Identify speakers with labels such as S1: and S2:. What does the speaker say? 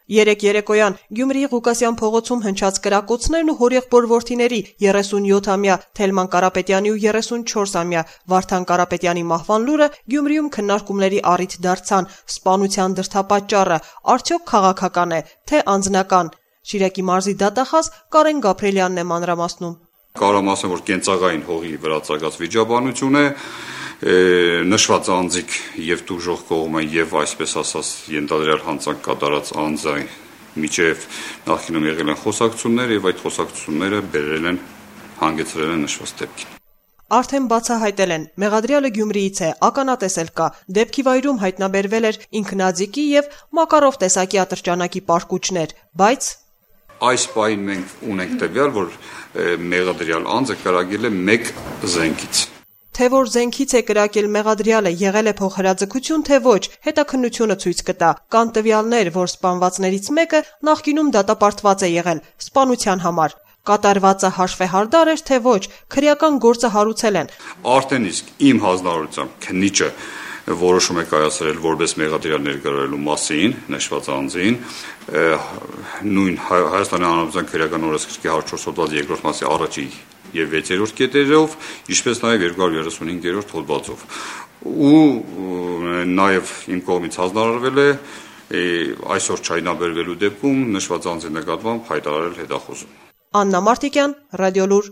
S1: Երեկ երեկոյան Գյումրիի Ղուկասյան փողոցում հնչած կրակոցներն ու հորեղբոր որդիների 37-ամյա Թելման Կարապետյանի ու 34-ամյա Վարդան Կարապետյանի մահվան լուրը Գյումրիում քննարկումների առիթ դարձան։ Սպանության դրդապատճառը արդյոք քաղաքական է, թե անձնական։ Շիրակի մարզի դատախազ Կարեն Գաբրելյանն է մանրամասնում։
S2: Կարամ ասեմ, որ կենցաղային հողի վրա ծագած վիճաբանություն է, նշված անձիկ եւ տուժող կողմը եւ այսպես ասած ենթադրյալ հանցանք կատարած անձային միջև նախկինում եղել են խոսակցություններ եւ այդ խոսակցությունները բերել են հանգեցրել են նշված դեպքին։
S1: Արդեն բացահայտել են, մեղադրյալը Գյումրիից է, ականատես էլ կա, դեպքի վայրում հայտնաբերվել էր ինքնաձիգի եւ Մակարով տեսակի ատրճանակի պարկուճներ, բայց
S2: այս պահին մենք ունենք տվյալ, որ մեղադրյալ անձը կրակել է մեկ զենքից։
S1: Թե որ զենքից է կրակել մեղադրյալը, եղել է փոխհրաձգություն, թե ոչ, հետաքննությունը ցույց կտա։ Կան տվյալներ, որ սպանվածներից մեկը նախկինում դատապարտված է եղել սպանության համար։ Կատարվածը հաշվեհարդար էր, թե ոչ, քրեական գործը հարուցել են։
S2: Արդեն իսկ իմ հանձնարարությամբ քննիչը որոշում է կայացրել որպես մեղադրյալ ներգրավելու մասին նշված անձին նույն Հայաստանի Հանրապետության քրեական օրենսգրքի 104 հոդված 2-րդ մասի առաջի եւ 6-րդ կետերով, ինչպես նաեւ 235-րդ հոդվածով։ Ու նաեւ իմ կողմից հանձնարարվել է այսօր չայնաբերվելու դեպքում նշված անձի նկատմամբ հայտարարել հետախուզում։
S1: Աննա Մարտիկյան, Ռադիոլուր։